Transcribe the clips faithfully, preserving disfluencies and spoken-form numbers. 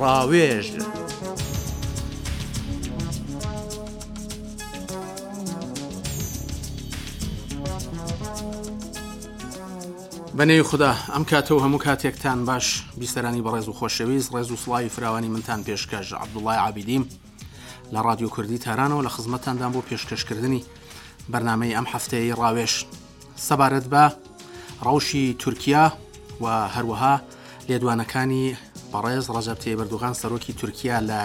ڕاوێژ. بەنێوی خودا ئەم کاتە و هەموو کاتێکتان باش بیسەرانی بەڕێز و خۆشەویست ڕێز و سڵاوی فراوانی منتان پێشکەش عەبدوڵای عابیدیم لە ڕادیۆ کوردی تارانەوە لە خزمەتتاندام بۆ پێشکەشکردنی بەرنامەی ئەم هەفتەیەی ڕاوێژ سەبارەت بە ڕەوشی تورکیا و هەروەها لێدوانەکانی بەڕێز ڕەجەب تەیب ئەردۆغان سەرۆکی تورکیا لە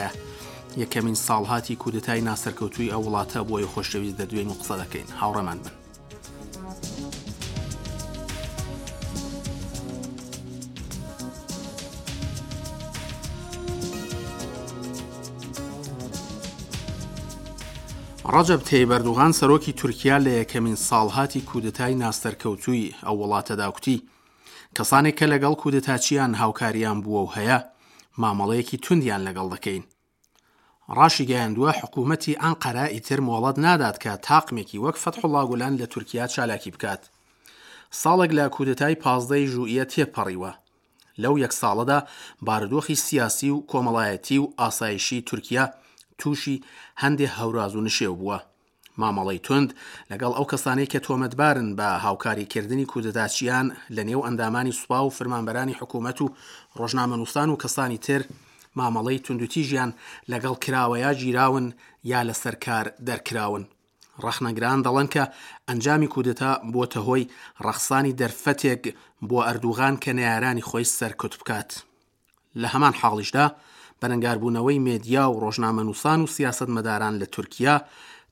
یەکەمین ساڵهاتی کودەتای ناسەرکەوتووی ئەو وڵاتە بۆیە خۆشەویست دەدوێن و قسە دەکەین. هاوڕێمان بن. ڕەجەب تەیب ئەردۆغان سەرۆکی تورکیا لە یەکەمین ساڵهاتی کودەتای ناسەرکەوتووی ئەو وڵاتەدا کوتی کەسانێک کە لەگەڵ کودەتاچیان هاوکاریان بووە و هەیە مامەڵەیەکی توندیان لەگەڵ دەکەین. ڕاشیگەیاندووە حکوومەتی ئەنقەرە ئیتر مۆڵەت نادات کە تاقمێکی وەک فەتحوڵا گولەن لە تورکیا چالاکی بکات. ساڵێک لە کودەتای پازدەی ژوئیە تێپەڕیوە. لەو یەک ساڵەدا بارودۆخی سیاسی و کۆمەڵایەتی و ئاسایشی تورکیا تووشی هەندێ هەوراز و نشێو بووە. مامەڵەی توند لەگەڵ ئەو کەسانەی کە تۆمەتبارن بە هاوکاریکردنی کودەتاچیان لە نێو ئەندامانی سوپا و فرمانبەرانی حکوومەت و ڕۆژنامەنووسان و کەسانی تر مامەڵەی توندوتیژیان لەگەڵ کراوە یا گیراون یا لەسەر کار دەرکراون. ڕەخنەگران دەڵێن کە ئەنجامی کودەتا بۆتە هۆی ڕەخسانی دەرفەتێک بۆ ئەردوغان کە نەیارانی خۆی سەرکوت بکات. لە هەمان حاڵیشدا بەرەنگاربوونەوەی مێدیا و ڕۆژنامەنووسان و سیاسەتمەداران لە تورکیا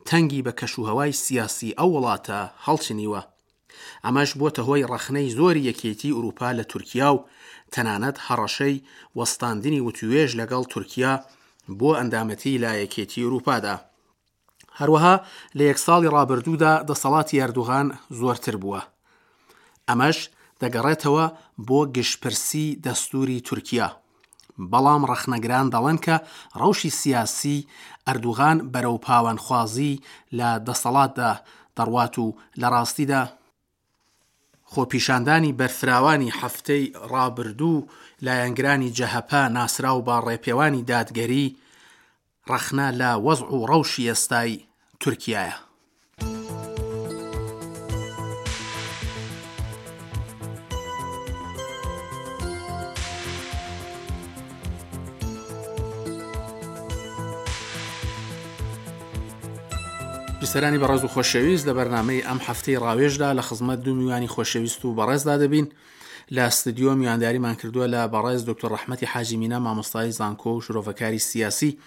تەنگی بە کەشوهەوای سیاسی ئەو وڵاتە هەڵچنیوە. ئەمەش بۆتە هۆی ڕەخنەی زۆری یەکێتی ئەوروپا لە تورکیا و تەنانەت هەڕەشەی وەستاندنی وتوێژ لەگەڵ تورکیا بۆ ئەندامەتی لە یەکێتی ئەوروپادا. هەروەها لە یەک ساڵی ڕابردوودا دەسەڵاتی ئەردوغان زۆرتر بووە. ئەمەش دەگەڕێتەوە بۆ گشتپرسی دەستوری تورکیا. بەڵام ڕەخنەگران دەڵێن کە ڕەوشی سیاسی ئەردوغان بەرەو پاوانخوازی لە دەسەڵاتدا دەڕوات و لە ڕاستیدا خۆپیشاندانی بەرفراوانی هەفتەی ڕابردوو لایەنگرانی جەهەپە ناسراو بە ڕێپێوانی دادگەری ڕەخنە لە وەزع و ڕەوشی ئێستای تورکیایە. بیسەرانی بەڕێز و خۆشەویست لە بەرنامەی ئەم هەفتەی ڕاوێژدا لە خزمەت دوو میوانی خۆشەویست و بەڕێزدا دەبین. لە ستودیۆ میوانداریمان کردووە لە بەڕێز دکتۆر ڕەحمەتی حاجی مینا مامۆستای زانکۆ و شرۆڤەکاری سیاسی،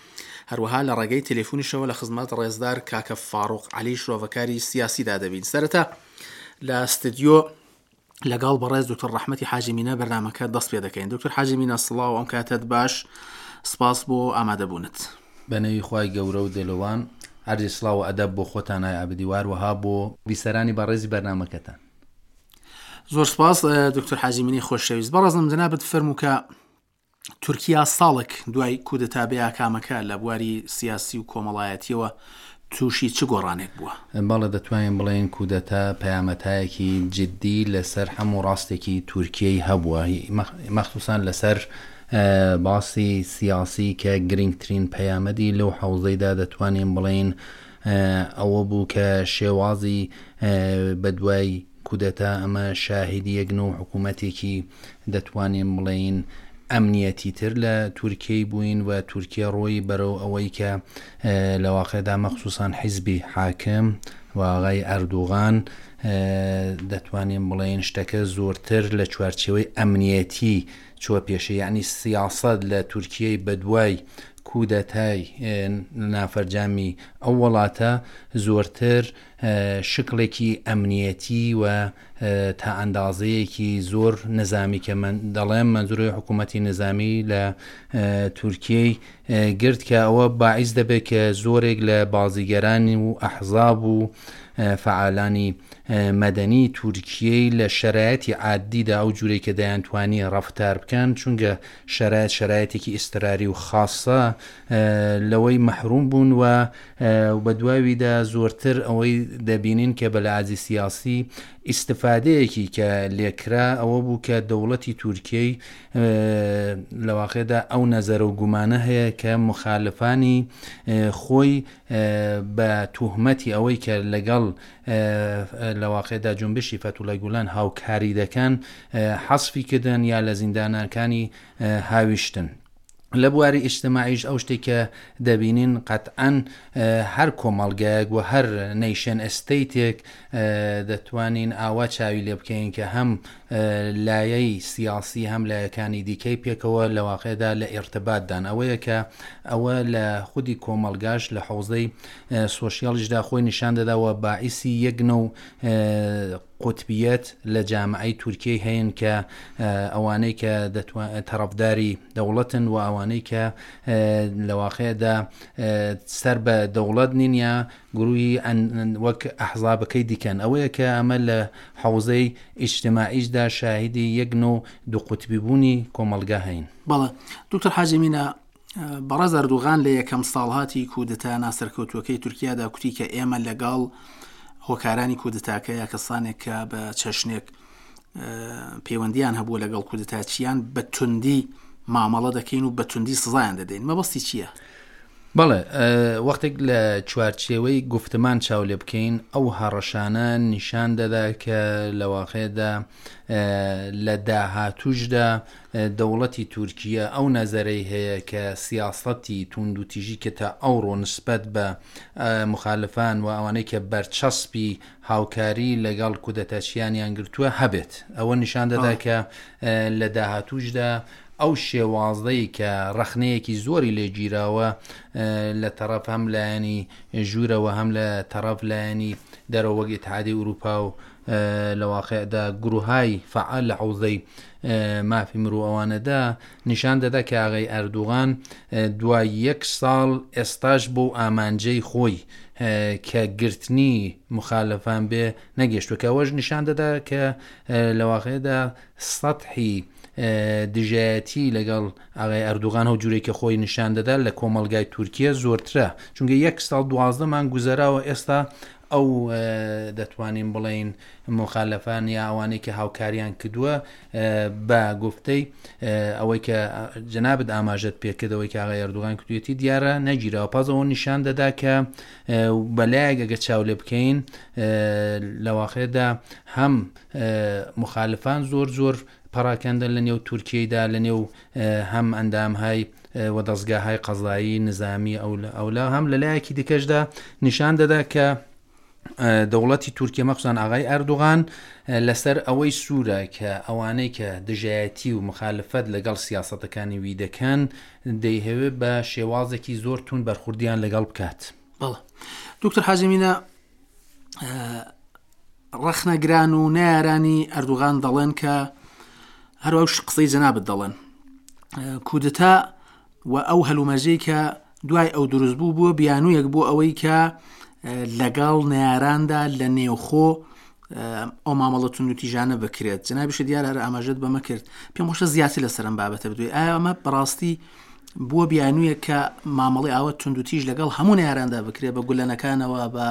هەروەها لە ڕێگەی تەلەفۆنیشەوە لە خزمەت ڕێزدار کاکە فاروق عەلی شرۆڤەکاری سیاسیدا دەبین. سەرەتا لە ستودیۆ لەگەڵ بەڕێز دکتۆر ڕەحمەتی حاجی مینا بەرنامەکە دەست پێ دەکەین. دکتۆر حاجی مینا سڵاو، ئەم کاتەت باش، سپاس بۆ ئامادەبوونت. بەنێوی خوای گەورە و دلۆوان عەرزی سڵاو و ئەدەب بۆ خۆتان ئای عەبدی وهەروەها بۆ بیسەرانی بەڕێزی بەرنامەکەتان. زۆر سپاس دکتۆر حاجی مینی خۆشەویست. بەڕێزم جەنابت فەرموو کە تورکیا ساڵێک دوای کودەتا بێئاکامەکە لە بواری سیاسی و کۆمەڵایەتیەوە تووشی چ گۆڕانێک بووە؟ بەڵێ دەتوانین بڵێین کودەتا پەیامەتایەکی جدی لەسەر هەموو ڕاستێکی تورکیەی هەبووە، مەخصوصا لەسەر باسی سیاسی کە گرنگترین پەیامەدی لەو حەوزەیدا دەتوانین بڵێین ئەوە بوو کە شێوازی بەدوای کودەتا ئەمە شاهیدی یەکن و حکوومەتێکی دەتوانین بڵێین ئەمنیەتی تر لە تورکیەی بووین و تورکیا ڕۆی بەرەو ئەوەی کە لە واقعدا مەخصوصان حیزبی حاکم و ئاغای ئەردوغان دەتوانین بڵێین شتەکە زۆرتر لە چوارچێوەی ئەمنیەتی چوە پێشە، یعنی سیاسەت لە تورکیەی بەدوای کودەتای نافەرجامی ئەو وڵاتە زۆرتر شکڵێکی ئەمنیەتی و تا ئەندازەیەکی زۆر نظامی کە من دەڵێم منزوری حکوومەتی نظامی لە تورکیەی گرت کە ئەوە باعیس دەبێت کە زۆرێک لە بازیگەرانی و ئەحزاب و فعالانی مەدەنی تورکیەی لە شەرایەتی عادیدا ئەو جوورەی کە دەیانتوانی ڕەفتار بکەن، چونکە شەرایەت شەرایەتێکی ئیستراری و خاصە لەوەی مەحروم بوون و بەدواویدا زۆرتر ئەوەی دەبینین کە بە لەعازی سیاسی ئیستفادەیەکی کە لێکرا ئەوە بوو کە دەوڵەتی تورکیەی لە واقعدا ئەو نەزەرە و گومانە هەیە کە مخالفانی خۆی بە توهمەتی ئەوەی کە لەگەڵ لە واقعدا جونبشی فەتحوڵای گولان هاوکاری دەکەن حەسفی کردن یا لە زیندانەکانی هاویشتن. لە بواری ئیجتماعیش ئەو شتێک کە دەبینین قەتعەن هەر کۆمەڵگایەک و هەر nation state ێک دەتوانین ئاوا چاوی لێ بکەین کە هەم لایەی سیاسی هەم لایەکانی دیکەی پێکەوە لە واقعدا لە ئیرتباتدان. ئەوەیە کە ئەوە لە خودی کۆمەڵگاش لە حوزەی social یشدا خۆی نیشان دەداوە باعیسی یەک نەو قوتبیەت لە جامعەی تورکیای هەین کە ئەوانەی کە تەرەفداری دەوڵەتن و ئەوانەی کە لە واقعدا سەر بە دەوڵەت نین یا گروهی وەک ئەحزابەکەی دیکەن. ئەوەیە کە ئەمە لە حوزەی ئیجتماعیشدا شاهیدی یەک نەو دوو قوتبی بوونی کۆمەڵگا هەین. بەڵێ دکتۆر حاجی مینا، بەڕێز ئەردوغان لە یەکەم ساڵهاتی کودەتا ناسەرکەوتووەکەی تورکیادا کوتی کە ئێمە لەگەڵ هۆکارانی کودەتاکە یا کەسانێک کە بە چەشنێک پەیوەندیان هەبووە لەگەڵ کودەتاچیان بە توندی مامەڵە دەکەین و بە توندی سزایان دەدەین. مەبەستی چییە؟ بەڵێ، وەختێک لە چوارچێوەی گفتمان چاو لێ بکەین ئەو هەڕەشانە نیشان دەدا کە لە واقعدا لە داهاتوشدا دەوڵەتی تورکیا ئەو نەزەرەی هەیە کە سیاسەتی توندوتیژی کە تا ئەوڕۆ نسبەت بە مخالفان و ئەوانەی کە بەرچەسپی هاوکاری لەگەڵ کودەتاچیانیان گرتووە هەبێت. ئەوە نیشان دەدا کە لە داهاتوشدا ئەو شێوازەی کە ڕەخنەیەکی زۆری لێگیراوە لە تەرەف هەم لایەنی ژوورەوە هەم لە تەرەف لایەنی دەرەوە وەک ئیتحادی ئەوروپا و لە واقعدا گروهای فعال لە حوزەی مافی مرۆ ئەوانەدا نیشان دەدا کە ئاغای ئەردوغان دوای یەک ساڵ ئێستاش بۆ ئامانجەی خۆی کە گرتنی مخالفان بێ نەگەشتووە، کە ئەوەش نیشان دەدا کە لە واقعدا سەتحی دژایەتی لەگەڵ ئاغای ئەردوغان هەو جوورێک کە خۆی نیشان دەدا لە کۆمەلگای تورکیا زۆرترە، چونکە یەک ساڵ دوازدە مانگ گوزەراوە ئێستا ئەو دەتوانین بڵێین مخالفان یا ئەوانەی کە هاوکاریان کردووە بە گفتەی ئەوەی کە جەنابت ئاماژەت پێکردەوەی کە ئاغای ئەردوغان کردوێتی دیارە نەگیراوە. پاس ئەوە نیشان دەدا کە بەلایەک ئەگە چاو لێ بکەین لە واقعدا هەم مخالفان زۆر زۆر پەراکەندن لە نێو تورکیەیدا، لە نێو هەم ئەندامهای و دەستگاهای قەزایی نظامی ئەولا، هەم لە لایەکی دیکەشدا نیشان دەدا کە دەوڵەتی تورکیا مەخصوصاً ئاغای ئەردوغان لەسەر ئەوەی سوورە کە ئەوانەی کە دژایەتی و مخالفەت لەگەڵ سیاسەتەکانی وی دەکەن دەیهەوێت بە شێوازێکی زۆر توند بەرخوردیان لەگەڵ بکات. بەڵێ دکتۆر حاجی مینا، ڕەخنەگران و نەیارانی ئەردوغان دەڵێن کە هەروەش قسەی جەنابت دەڵێن کودەتا و ئەو هەلومەرجەی کە دوای ئەو دروست بوو بووە بیانوویەک بۆ ئەوەی کە لەگەڵ نەیاراندا لە نێوخۆ ئەو مامەڵە توندوتیژانە بکرێت. جەنابیشە دیارە هەر ئاماژەت بەمە کرد، پێم خۆشە زیاتر لەسەر ئەم بابەتە بدوێ. ئایا ئەمە بەڕاستی بووە بیانوویەک کە مامەڵەی ئاوە توندوتیژ لەگەڵ هەموو نەیاراندا بکرێت بە گولەنەکانەوە، بە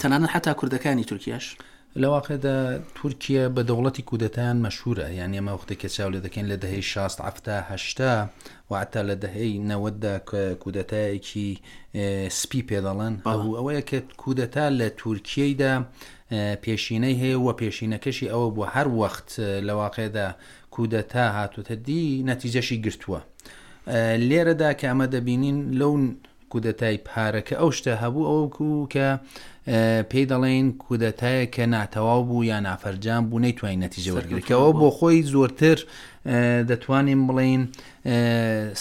تەنانەت حتا کوردەکانی تورکیاش؟ لە واقعدا تورکیا بە دەوڵەتی کودەتایان مەشهورە، یعنی ئەمە وەختێک کە چاو لێ دەکەین لە دەهەی شاست حەفتا هەشتا و حتا لە دەهەی نەوەددا کە کودەتایەکی سپی پێ دەڵێن، هەبوو. ئەوەیە کە کودەتا لە تورکیەیدا پێشینەی هەیە و پێشینەکەشی ئەوە بوو هەر وەخت لە واقعدا کودەتا هاتوتە دی نەتیجەشی گرتووە. لێرەدا کە ئەمە دەبینین لەو کودەتای پارەکە ئەو شتە هەبوو ئەوکو کە پێی دەڵێن کودەتایە کە ناتەواو بوو یا نافەرجام بوو نەیتوانین نەتیجە وەرگرێت، کە ئەوە بۆ خۆی زۆرتر دەتوانین بڵێین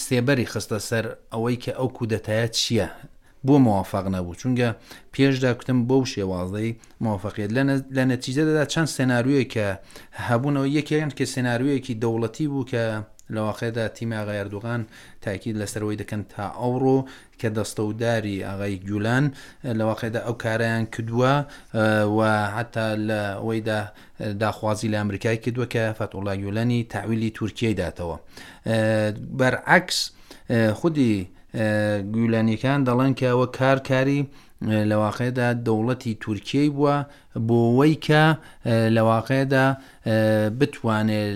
سێبەری خستە سەر ئەوەی کە ئەو کودەتایە چییە بۆ موافق نەبوو، چونکە پێشدا کوتم بەو شێوازەی موافقیت لە نەتیجەدا چەند سێناریۆیەک کە هەبوونەوە، یەکێکیان کە سێناریۆیەکی دەوڵەتی بوو کە لە واقعدا تیمی ئاغای ئەردوغان تاکید لەسەرەوەی دەکەن تا ئەوڕۆ کە دەستەوداری ئاغای گولان لە واقعدا ئەو کارەیان کردووە و حتا لە ئەوەیدا داخوازی لە ئەمریکای کردووە کە فەتحوڵا گولانی تەعویلی تورکیای داتەوە. بەرعەکس خودی گویلانیەکان دەڵێن کە ئەوە کار کاری لە واقعدا دەوڵەتی تورکیەی بووە بۆ وەی کە لە واقعدا بتوانێت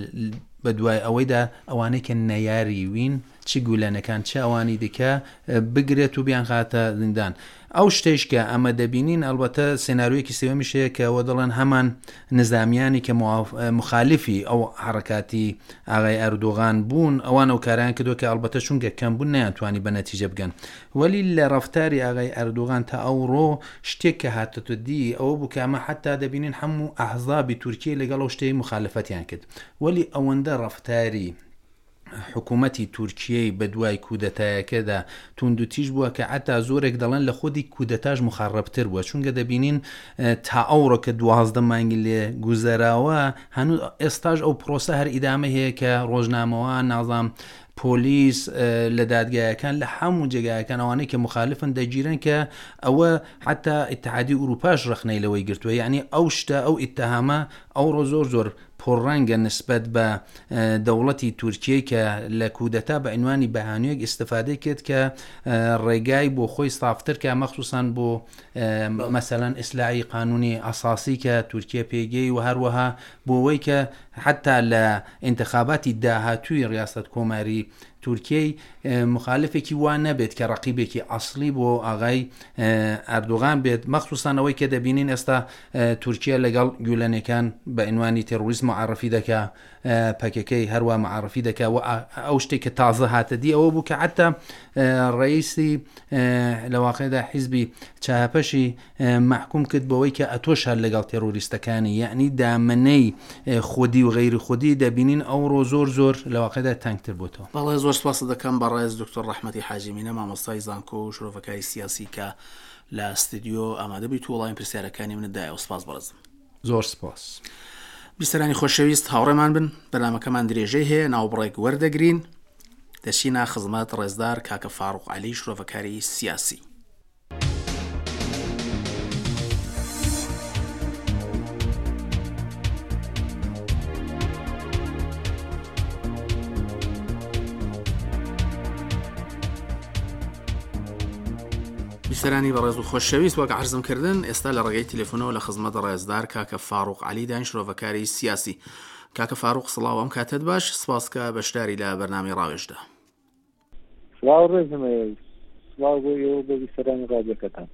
بە دوای ئەوەیدا ئەوانەی کە نەیاری وین چ گولەنەکان چ ئەوانی دیکە بگرێت و بیانخاتە زیندان. ئەو شتێش کە ئەمە دەبینین ئەلبەتە سێناریۆیەکی سێوەمیش هەیە کە ئەوە دەڵێن هەمان نظامیانی کە مخالفی ئەو حرەکاتی ئاغای ئەردۆغان بوون ئەوان ئەو کاریان کردووە کە ئەلبەتە چونکە کەم بوون نەیانتوانی بە نەتیجە بگەن. وەلی لە ڕەفتاری ئاغای ئەردۆغان تا ئەوڕۆ شتێک کە هاتەتە دی ئەوە بوو کە ئەمە حتا دەبینین هەموو ئەحزابی تورکیە لەگەڵ ئەو شتەی مخالفەتیان کرد، وەلی ئەوەندە ڕەفتاری حکوومەتی تورکیەی بە دوای کودەتایەکەدا توندوتیژ بووە کە حتا زۆرێک دەڵێن لە خودی کودەتاش مخەڕەبتر بووە، چونکە دەبینین تا ئەوڕۆ کە دوازدە مانگی لێ گوزەراوە هەنوو ئێستاش ئەو پرۆسە هەر ئیدامە هەیە کە ڕۆژنامەوان نازام پۆلیس لە دادگایەکان لە هەموو جێگایەکان ئەوانەی کە مخالفن دەگیرن کە ئەوە حتا ئیتحادی ئەوروپاش ڕەخنەی لەوەی گرتووە. یعنی ئەو شتە ئەو ئیتهامە ئەوڕۆ زۆر زۆر پڕڕەنگە نسبەت بە دەوڵەتی تورکیە کە لە کودەتا بە عنوانی بەهانوویەک ئیسیفادەی کرد کە ڕێگای بۆ خۆی سافتر کە مەخصوصان بۆ مەسەلەن ئیسلاحی قانونی ئەساسی کە تورکیە پێگەی و هەروەها بۆ وەی کە حتا لە انتخاباتی داهاتووی ڕیاست کۆماری تورکیەی مخالفێکی وا نەبێت کە ڕقیبێکی ئەسلی بۆ ئاغای ئەردۆغان بێت، مەخصوصان ئەوەی کە دەبینین ئێستا تورکیا لەگەڵ گولەنەکان بە عنوانی تێرۆریسم معرفی دەکا، پەکەکەی هەروە معرفی دەکا و ئەو شتێک کە تازە هاتە دی ئەوە بوو کە حتا ڕئیسی لە واقعدا حیزبی چاپەشی محکوم کرد بەوەی کە ئەتۆش هەر لەگەڵ تێرۆریستەکانی، یعنی دامنەی خودی و غەیری خودی دەبینین ئەوڕۆ زۆر زۆر لە واقعدا تەنگتر بۆتەوە. بەڵێ زۆر سپاس دەکەم بەڕێز دکتۆر ڕەحمەتی حاجی مینە مامۆستای زانکۆ و شرۆڤەکاری سیاسی کە لە ستودیۆ ئامادە بیت و وەڵامی پرسیارەکانی منت دایەوە. سپاس بەڕێزم. زۆر سپاس. بیسەرانی خۆشەویست هاوڕێمان بن، بەرنامەکەمان درێژەی هەیە، ناوبڕێک وەردەگرین، دەچینە خزمەت ڕێزدار کاکە فاروق عەلی شرۆڤەکاری سیاسی. بیسەرانی بەڕێز و خۆشەویست وەک عەرزم کردن ئێستا لە ڕێگەی تەلەفۆنەوە لە خزمەت ڕێزدار کاکە فاروق عەلی داین شرۆڤەکاری سیاسی. کاکە فاروق سڵاو، ئەم کاتت باش، سپاس کە بەشداری لە بەرنامەی ڕاوێژدا. سڵاو ڕێزم هەیە، سڵاو بۆ ئێوە بۆ بیسەرانی ڕادیۆکەتان.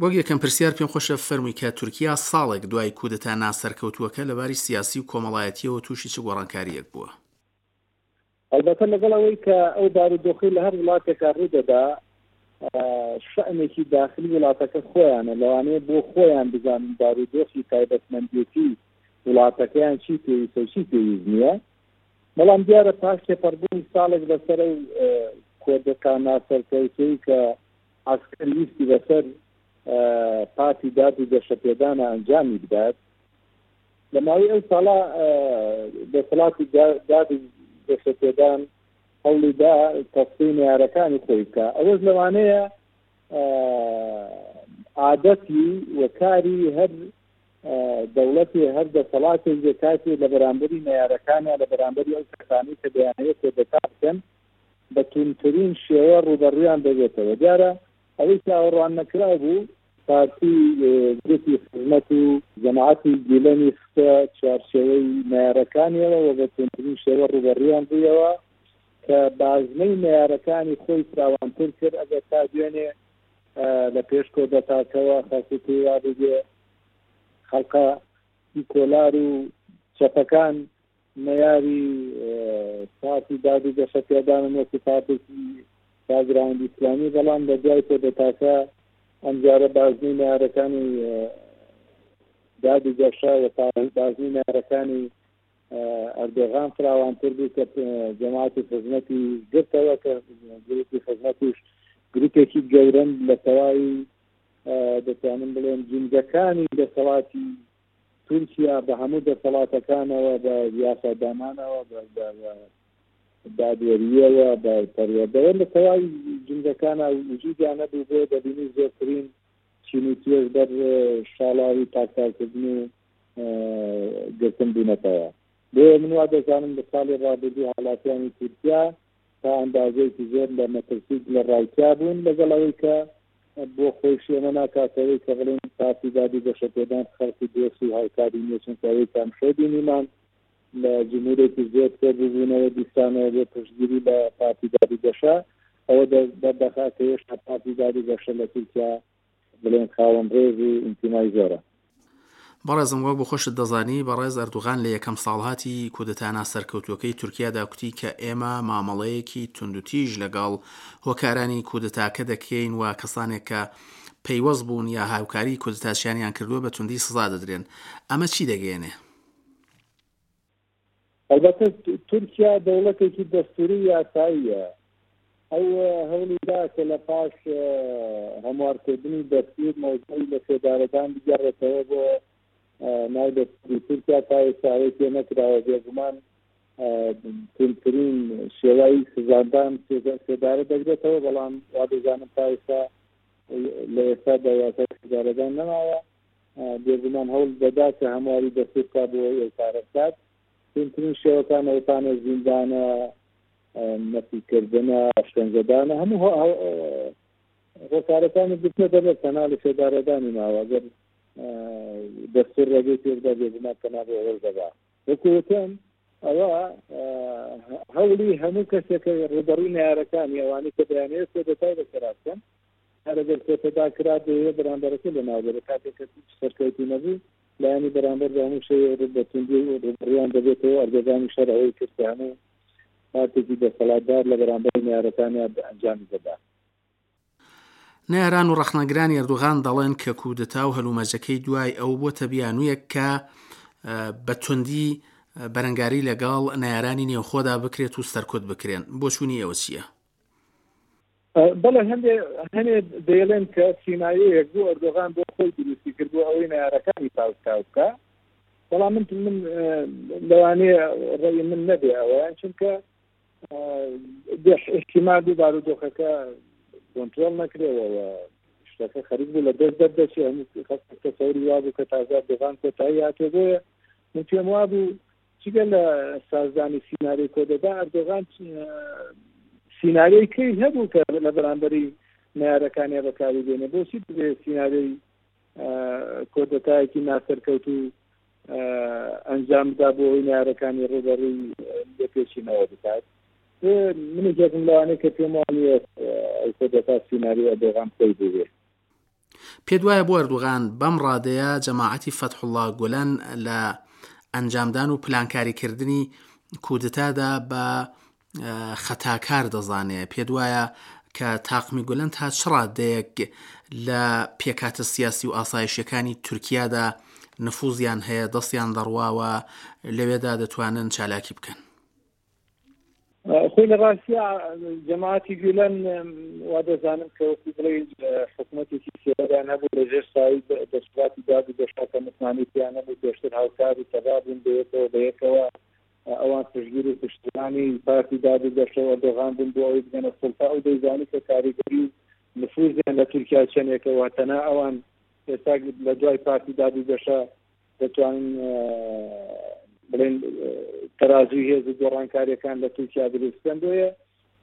وەک یەکەم پرسیار پێم خۆشە فەرمووی کە تورکیا ساڵێک دوای کودەتا ناسەرکەوتووەکە لەباری سیاسی و کۆمەڵایەتیەوە تووشی چ گۆڕانکارییەک بووە؟ ئەلبەتە لەگەڵ ئەوەی کە ئەو بارودۆخی لە هەر وڵاتێکا ڕوودەدا شەئنێکی داخلی وڵاتەکە خۆیانە، لەوانەیە بۆ خۆیان بزانن بارودۆخی تایبەتمەندێتی وڵاتەکەیان چی پێویستە و چی پێویست نییە. بەڵام دیارە پاش تێپەڕبوونی ساڵێک بەسەر ئەو کۆدەتا ناسەرکەوتەی کە عەسکەر ویستی بەسەر پارتی داد و گەشەپێدانە ئەنجامی بدات، لە ماوەی ئەو ساڵە دەسەڵاتی داد و گەشەپێدان هەوڵیدا تەسفی نەیارەکانی خۆی بکە. ئەوەش لەوانەیە عادەتی و کاری هەر دەوڵەتی هەر دەسەڵاتێک بێ کاتێ لە بەرامبەری نەیارەکانیان لە بەرامبەری ئەو کەسانەی کە دەیانەوێت کۆدەتا بکەن بە توندترین شێوە ڕووبەڕوویان دەبێتەوە. دیارە ئەوەی چاوەڕوان نەکراو بوو پارتی گروپی خزمەت و جەماعەتی گیلەنی خستە چوارچێوەی نەیارەکانیەوە و بە توندترین شێوە ڕووبەڕوویان بوویەوە کە بازنەی نەیارەکانی خۆی فراوانتر کرد. ئەگەر تا دوێنێ لە پێش کۆدەتاکەوە خەڵکی پێی وا بوو خەڵکە سیکۆلار و چەپەکان نەیاری پارتی داد و گەشەپێدانن وەکو پارتێکی باگراوندی ئیسلامی، بەڵام لە دوای کۆدەتاکە ئەمجارە بازنەی نەیارەکانی داد و گەشە و بازنەی نەیارەکانی ئەردۆغان فراوانتر بوو کە جەماعەتی خزمەتی گرتەوە، کە گروپی خزمەتیش گروپێکی گەورەن لە تەواوی دەتوانم بڵێم جینگەکانی دەسەڵاتی تورکیا بە هەموو دەسەڵاتەکانەوە، بە یاسادانانەوە، بە دادوەریەوە، بە پەروەردەوە، لە تەواوی جینگەکانە وجودیان نەبوو. بۆ دەبینی زۆرترین چین و توێژ بەر شاڵاوی پاکتاکردن و گرتن بوونەتەوە. بۆیە من وا دەزانم لە ساڵی ڕابردوو هاوڵاتیانی تورکیا تا ئەندازەیەکی زۆر لە مەترسی لە ڕاوکیا بوون، لەگەڵ ئەوەی کە بۆ خۆیشی ئەمە ناکاتەوەی کە بڵێن پارتی داد و گەشەپێدان خەڵکی دۆست و هاوکاری نییە، چونکە ئەوەی کە ئەمشەو بینیمان لە جمهورێکی زۆر کۆبووبوونەوە دیسانەوە بۆ پشتگیری لە پارتی داد و گەشە، ئەوە دەردەخا کە هێشتا پارتی داد و گەشە لە تورکیا بڵێن خاوەن ڕێز و ئینتیمای زۆرە. بەڕێزم وەک بۆ خۆشت دەزانی بەڕێز ئەردوغان لە یەکەم ساڵهاتی کودەتا ناسەرکەوتووەکەی تورکیادا کوتی کە ئێمە مامەڵەیەکی توندوتیژ لەگەڵ هۆکارانی کودەتاکە دەکەین و کەسانێک کە پەیوەست بوون یا هاوکاری کودەتاچیانیان کردووە بە توندی سزا دەدرێن. ئەمە چی دەگەیەنێ؟ ئەلبەتە تورکیا دەوڵەتێکی دەستوری و یاساییە. ئەو هەوڵی دا کە لە پاش هەموارکردنی دەستور مەوزوعی لە سێدارەدان بگەڕێتەوە بۆ ناو دەستوری تورکیا، تا ئێستا ئەوەی پێ نەکراوە. بێگومان توندترین شێوەی سزادان سێدارە دەگرێتەوە، بەڵام وا دەزانم تا ئێستا لە ئێستادا یاسای سێدارەدان نەماوە. بێگومان هەوڵ دەدا کە هەمواری دەستور بکات بۆ ئەوەی ئەو کارە بکات. توندترین شێوەکان ئەوتانە زیندانە، نەفیکردنە، ئەشکەنجەدانە، هەموو هۆکارەکانی گرتنە دەبێت، تەنها لە سێدارەدانی ماوە. ئەگەر دەستور ڕێگەی پێبدا بێگومان تەنها بۆ ئەوەش دەبا. وەکو وتم ئەوە هەوڵی هەموو کەسێکە ڕووبەڕووی نەیارەکانی ئەوانەی کە دەیانەوێت کۆدەتای بەسەرا بکەن، هەر ئەگەر کۆتەدا کرا دەیەوێت بەرامبەرەکە لەناو بەرێت. کاتێک کە هیچ سەرکەوتی نەبوو لایەنی بەرامبەر بە هەموو شێوەیەک بە توندی ڕووبەڕوویان دەبێتەوە. ئەردۆغانیش هەر ئەوەی کرد کە هەموو پارتێکی دەسەڵاتدار لە بەرامبەر نەیارەکانیان ئەنجامی دەدا. نەیاران و ڕەخنەگرانی ئەردۆغان دەڵێن کە کودەتا و هەلومەرجەکەی دوای ئەو بۆتە بیانوویەک کە بە توندی بەرەنگاری لەگەڵ نەیارانی نێوخۆدا بکرێت و سەرکوت بکرێن. بۆچوونی ئێوە چییە؟ بەڵێ، هەندێ هەنێ دەیڵێن کە سیناریۆیەک بوو ئەردۆغان بۆ خۆی دروستی کرد بۆ ئەوەی نەیارەکانی پاوتاو بکا، بەڵام من من لەوانەیە ڕێی من نەبێ ئەوەیان، چونکە احتیمال بوو بارودۆخەکە کۆنترۆڵ نەکرێەوە شتەکە خەریک بوو لە دەست دەردەچێ. هەموو خەڵک تەسەوری وا بوو کە تازە ئەردۆغان کۆتایی هاتووە. بۆیە من پێم وا بوو جگە لە سازدانی سیناریۆی کۆدەدا ئەردۆغان سیناریۆی کەی هەبوو کە لە بەرامبەری نەیارەکانیا بەکاری بێنێ. بۆچی دەبێ سیناریۆی کۆدەتایەکی ناسەرکەوتوو ئەنجام بدا بۆ ئەوەی نەیارەکانی ڕووبەڕووی لێپێچینەوە بکات؟ من یەکێکم لەوانەی کە پێم وا نییە ئەو کۆدەتا سیناریۆی ئەردۆغان خۆی بووبێ. پێت وایە بۆ ئەردۆغان بەم ڕادەیە جەماعەتی فەتحوڵڵا گولەن لە ئەنجامدان و پلانکاریکردنی کودتادا بە خەتاکار دەزانێ؟ پێت وایە کە تاقمی گولەن تا چ ڕادەیەک لە پێکهاتە سیاسی و ئاسایشیەکانی تورکیادا نفوزیان هەیە، دەستیان دەڕواوە، لەوێدا دەتوانن چالاکی بکەن؟ خۆی لە ڕاستیا جەماعەتی گولەن وا دەزانم کە وەکو بڵێ حکوومەتێکی سێوەریان هەبوو لە ژێر سایەی دەسەڵاتی داد و گەشە کە متمانەی پێیان نەبوو، پێشتر هاوکار و تەبا بوون بەیەکەوە بەیەکەوە ئەوان پشتگیر و پشتیوانی پارتی داد و گەشە و ئەردۆغان بوون بۆ ئەوەی بگەنە سوڵتە. ئەو دەیزانی کە کاریگەری و نفوزیان لە تورکیا چەندێکە و تەنها ئەوان ئێستا لە دوای پارتی داد و گەشە دەتوانن بڵێن تەرازوی هێز و گۆڕانکاریەکان لە تورکیا دروست بکەن. بۆیە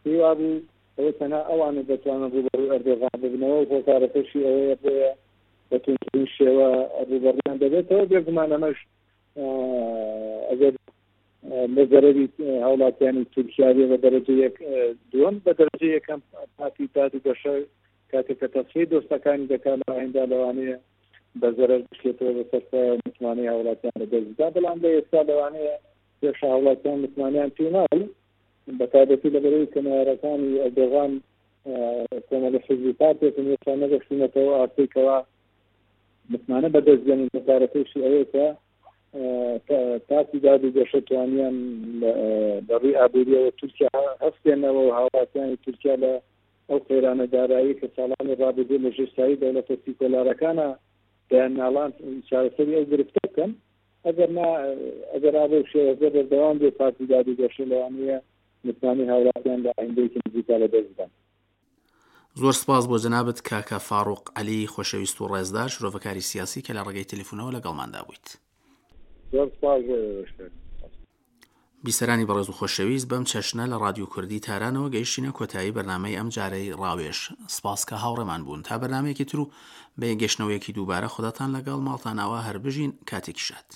پێی وابوو ئەوە تەنها ئەوانە دەتوانن ڕووبەڕووی ئەردۆغان ببنەوە و هۆکارەکەشی ئەوەیە بۆیە بە توندترین شێوە ڕووبەڕوویان دەبێتەوە. بێگومان ئەمەش ئەگەر لە زەرەری هاوڵاتیانی تورکیا بێ بە دەرەجە یەک، دووەم بە دەرەجە یەکەم پارتی داد و گەشە کاتێک کە تەسفیەی دۆستەکانی دەکات لە ئایندا لەوانەیە بە زەرەر بشکێتەوە بەسەر خۆی و متمانەی هاوڵاتیان لەدەست بدا. بەڵام لە ئێستا لەوانەیە پێش هاوڵاتیان متمانەیان پێ ناوی، بە تایبەتی لەبەرەوەی کە نەیارەکانی ئەردۆغان کۆمەڵە حیزب و پارتێکن هێشتا نەگەشتوونەتەوە ئاستەی کەوا متمانە بەدەست بێنن. هۆکارەکەیشی ئەوەیە کە پارتی داد و گەشە توانیان لە ڕووی ئابووریەوە تورکیا هەستێنەوە و هاوڵاتیانی تورکیا لە ئەو قەیرانە دارایی کە ساڵانی ڕابردوو لە ژێر سایەی دەوڵەتە سیکۆلارەکانە دەیان ناڵان چارەسەری ئەو گرفتە بکەن. ئەگەر نا ئەگەر ئابە و شێوەزە بەردەوام بێ پارتی داد و گەشە لەوانەیە متمانەی هاوڵاتیان لە ئایندەیەکی نزیکا لەدەست بدەن. زۆر سپاس بۆ جەنابت کاکە فاڕوق عەلی خۆشەویست و ڕێزدار، شرۆڤەکاری سیاسی کە لە ڕێگەی تەلەفونەوە لەگەڵماندا بوویت. زۆر سپاس بۆ ئێوەش. بیسەرانی بەڕێز و خۆشەویست، بەم چەشنە لە ڕادیۆ کوردی تارانەوە گەیشتینە کۆتایی بەرنامەی ئەم جارەی ڕاوێژ. سپاس کە هاوڕێمان بوون. تا بەرنامەیەکی تر و بە گەشتنەوەیەکی دووبارە خوداتان لەگەڵ، ماڵتان ئاوا، هەر بژین، کاتێکی شاد.